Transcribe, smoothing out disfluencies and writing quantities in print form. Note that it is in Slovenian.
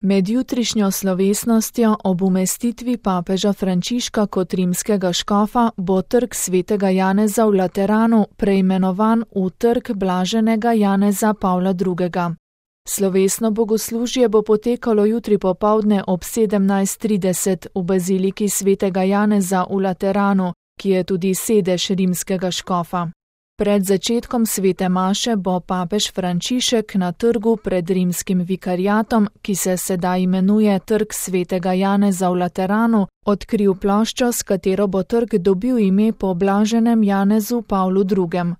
Med jutrišnjo slovesnostjo ob umestitvi papeža Frančiška kot rimskega škofa bo trg svetega Janeza v Lateranu preimenovan v trg blaženega Janeza Pavla II. Slovesno bogoslužje bo potekalo jutri popoldne ob 17:30 v baziliki svetega Janeza v Lateranu, ki je tudi sedež rimskega škofa. Pred začetkom svete maše bo papež Frančišek na trgu pred rimskim vikariatom, ki se sedaj imenuje Trg svetega Janeza v Lateranu, odkril ploščo, s katero bo trg dobil ime po blaženem Janezu Pavlu II.